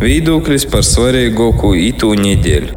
Viedoklis par svarīgāko itū nedēļu.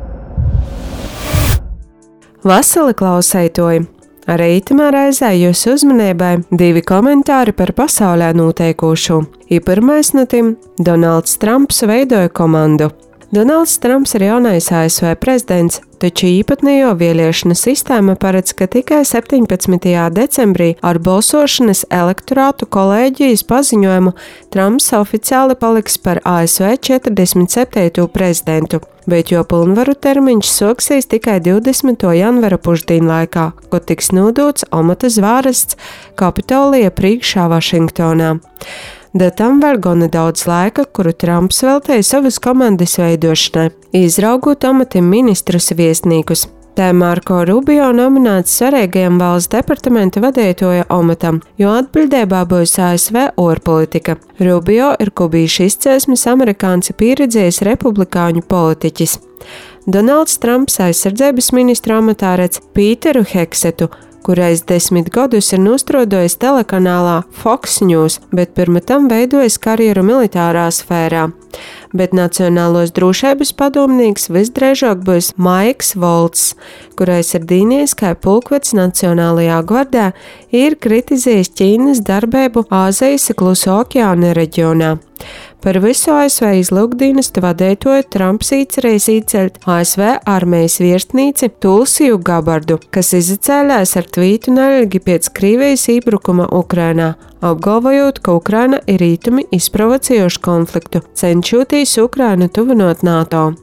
Vasali klausētoji! Arī itamā reizē jūsu uzmanībai 2 komentāri par pasaulē noteikošo. Pirmais no tiem – Donalds Trumps veidoja komandu. Donalds Trumps ir jaunais ASV prezidents, taču īpatnējo vēlēšanu sistēma paredz, ka tikai 17. decembrī ar balsošanas elektorātu kolēģijas paziņojumu Trumps oficiāli paliks par ASV 47. prezidentu, bet jo pilnvaru termiņš soksīs tikai 20. janvara pusdienlaikā, kad tiks nodots amata zvārasts Kapitolija priekšā Vašingtonā. Da tam vēl gana daudz laika, kuru Trumps veltīja savas komandas veidošanai, izraugot amatam ministrus viesnīkus. Tā Marko Rubio nominēts svarīgajam valsts departamenta vadītāja amatam, jo atbildībā būs ASV ārpolitika. Rubio ir kubīšu izcelsmes amerikāns pieredzējis republikāņu politiķis. Donalds Trumps aizsardzības ministra amatā redz Pīteru Heksetu, kurais 10 gadus ir nostrodojis telekanālā Fox News, bet pirms tam veidojis karjeru militārā sfērā. Bet nacionālos drošības padomnieks visdrīzāk būs Maiks Volts, kurais ir dīnies kā pulkvedis Nacionālajā gvardā, ir kritizējis Ķīnas darbību Āzijas Kluso okeāna reģionā. Par visu ASV izlūkdienestu vadītāju Trumps iecerējis ieceļt ASV armijas virsnīci Tulsiju Gabardu, kas izacēlās ar tvītu neilgi pēc Krievijas iebrukuma Ukrainā, apgalvojot, ka Ukraina ir rītumi izprovocējuši konfliktu, cenšoties Ukrainu tuvinot NATO.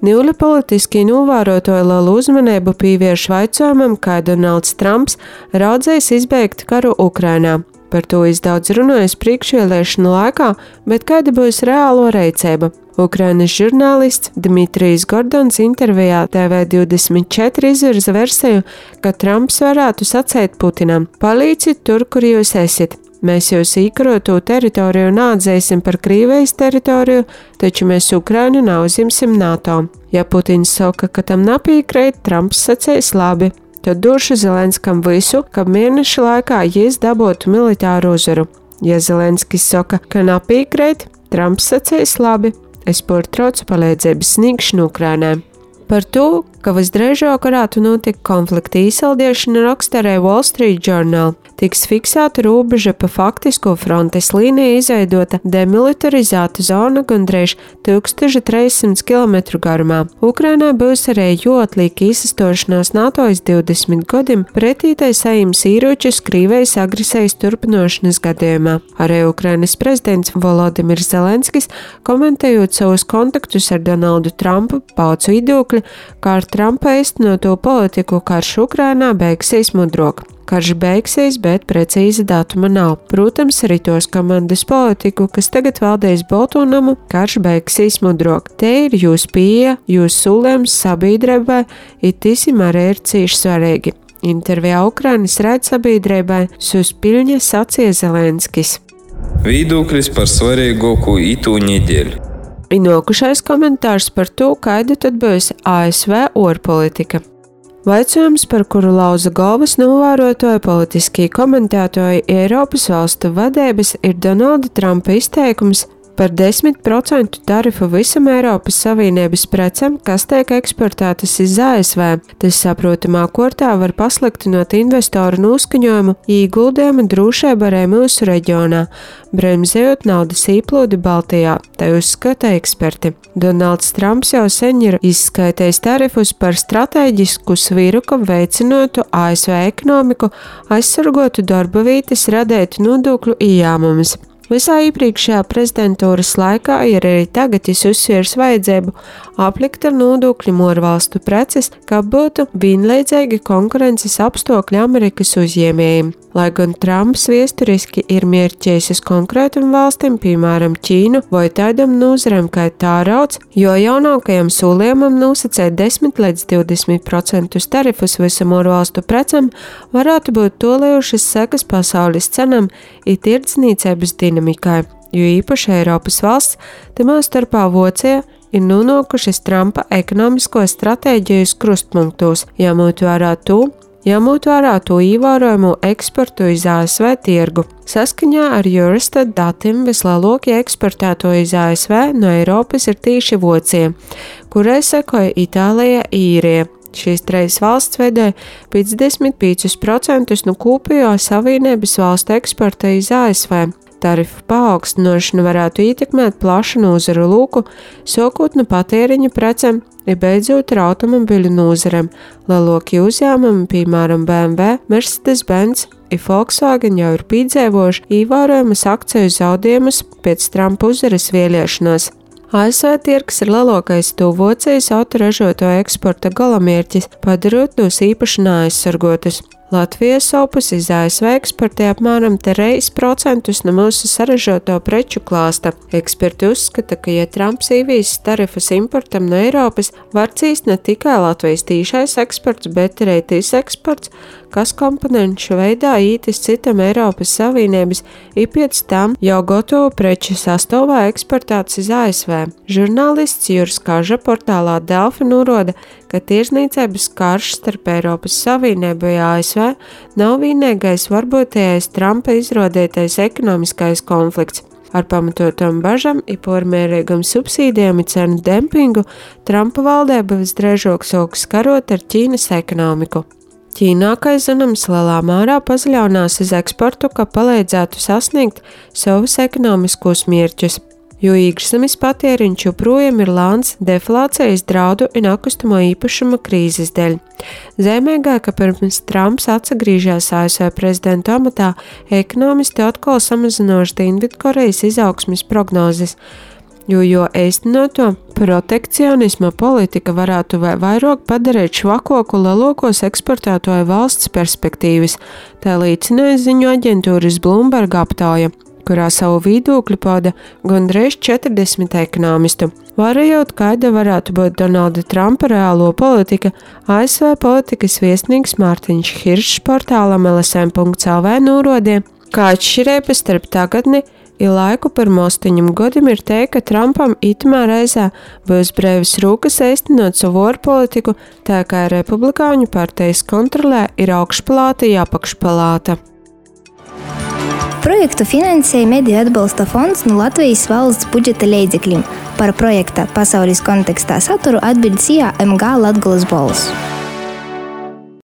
Nīli politiski novērotāji lielu uzmanību pievērš jautājumam, kā Donalds Trumps raudzējis izbeigt karu Ukrainā. Par to daudz runājas priekšvēlēšanu laikā, bet kāda būs reālo rīcība? Ukrainas žurnālists Dmitrijs Gordons intervijā TV24 izvirza versiju, ka Trumps varētu sacīt Putinam: palīdziet tur, kur jūs esat. Mēs jūs īkaroto teritoriju neatzēsim par Krievijas teritoriju, taču mēs Ukrainu neuzimsim NATO. Ja Putins saka, ka tam nepiekrīt, Trumps sacīs labi. Tad došu Zelenskam visu, ka mēneša laikā jis dabūtu militāru uzvaru. Ja Zelenskis saka, ka nepiekrīt, Trumps sacīs labi, es pārtraucu palīdzības sniegšanu Ukrainai. Par to, ka visdrīzāk varētu notikt konflikta izsaldēšana, raksturē Wall Street Journal. Tiks fiksēta robeža pa faktisko frontes līniju izveidota demilitarizēta zona gandrīz 1300 km garumā. Ukrainā būs arī atliek izsastošanās NATO 20 gadiem pretītai sajims īročus Krievijas agresijas turpinošanas gadījumā. Arī Ukrainas prezidents Volodimirs Zelenskis, komentējot savus kontaktus ar Donaldu Trumpu, pauca viedokli, ka ar Trumpa īstenoto politiku karš Ukrainā beigsies mudrok. Karš beigsies, bet precīza datuma nav. Protams, arī tos komandas politiku, kas tagad valdīs Baltonamu, karš beigsies mudrok. Te ir jūs pieeja, jūs solījums sabiedrībai, itīsim arī ir cīši svarīgi. Intervijā Ukrainas raidsabiedrībai Suspiļņa sacīja Zelenskis. Viedoklis par svarīgāko itū nedēļu. Inokušais komentārs par to, kāda tad būs ASV ārpolitika. Vaicojums, par kuru lauza galvas novērotāji politiskie komentētāji Eiropas valstu vadības, ir Donalda Trumpa izteikums par 10% tarifu visam Eiropas Savienības precēm, kas tiek eksportētas iz ASV. Tas saprotamā kārtā var pasliktinot investoru noskaņojumu, ieguldījumu drošību arī mūsu reģionā, bremzējot naudas īplūdi Baltijā, tā uzskata eksperti. Donalds Trumps jau sen ir izskaitējis tarifus par stratēģisku sviru, ka veicinotu ASV ekonomiku, aizsargotu darba vietas, radētu nodokļu ieņēmumus. Visā iepriekšējā prezidentūras laikā ir arī tagad uzsvērs vajadzību aplikt ar nodokļiem ārvalstu preces, kā būtu vienlīdzīgi konkurences apstākļi Amerikas uzņēmējiem. Lai gan Trumps viesturiski ir mērķējis uz konkrētam valstim, piemēram Ķīnu vai tādam nozaram kā tārauds, jo jaunākajam solījumam nosacēt 10 līdz 20% tarifus visam ārvalstu precam varētu būt tolējušas sekas pasaules cenām it tirdzniecības dinamikai, jo īpaši Eiropas valsts, tamā starpā Vācija, ir nonākušas Trumpa ekonomisko stratēģijas krustpunktos, jāmot vērā to, ņemot vērā to ievērojamo eksportu uz ASV tirgu. Saskaņā ar Eurostat datiem vislielākie eksportēto uz ASV no Eiropas ir tieši Vācija, kurai sekoja Itālija, Īrija. Šīs trīs valsts veidoja 55% no kopējo Savienības valstu eksporta uz ASV. Tarifu paaugstināšana varētu ietekmēt plašu nozaru loku, sākot no patēriņa precēm, ja beidzot ar automobiļu nozarēm. Lielākie uzņēmumi, piemēram BMW, Mercedes-Benz un Volkswagen jau ir piedzīvojuši ievērojamas akciju zaudējumus pēc Trumpa uzvaras vēlēšanās. ASV tirgus ir lielākais Vācijas autoražotāju eksporta galamērķis, padarot tos īpaši neaizsargotus. Latvija savpus iz ASV eksportē apmēram 3% no mūsu saražoto preču klāsta. Eksperti uzskata, ka, ja Trumps ievies tarifus importam no Eiropas, var cīst ne tikai Latvijas tīšais eksports, bet arī tis eksports, kas komponenšu veidā ītis citam Eiropas Savienības, ir pēc tam jau gotovu preču sastāvā eksportēts iz ASV. Žurnālists Juris Kaža portālā Delfi norāda, ka tirzniecības karš starp Eiropas Savienību un ASV nav vienīgais varbūtējais Trumpa izrādītais ekonomiskais konflikts. Ar pamatotam bažam un pārmērīgam subsīdijām un cenu dempingu Trumpa valdība visdrīzāk sāks karot ar Ķīnas ekonomiku. Ķīnā, kā zināms, lielā mērā pazaļaunās uz eksportu, ka palīdzētu sasniegt savus ekonomiskos mērķus, jo iekšzemes patēriņš joprojām ir lēns deflācijas draudu un nekustamo īpašuma krīzes dēļ. Zīmīgāk, ka pirms Trumps atsagriežās ASV prezidenta amatā, ekonomisti atkal samazinājuši Dienvidkorejas izaugsmes prognozes, jo īstenoto protekcionisma politika varētu vairāk padarīt švakoku lielākos eksportētāju valsts perspektīvas, tā liecināja ziņu aģentūras Bloomberg aptauja, kurā savu viedokli pauda gandrīz 40 ekonomistu. Vērojot, kāda varētu būt Donalda Trumpa reālo politika, ASV politikas viesnīgs Mārtiņš Hiršs portālam LSM.lv norādīja, ka atšķirības starp tagadni ir laiku pirmo 8 gadiem ir teikt, ka Trumpam itamā reizē būs brīvas rūkas īstenot savu ārpolitiku, tā kā Republikāņu partijas kontrolē ir augšpalāta un apakšpalāta. Projektu finansēja Mediju atbalsta fonds no Latvijas valsts budžeta līdzekļiem. Par projekta pasaules kontekstā saturu atbild SIA MG Latgolas balss.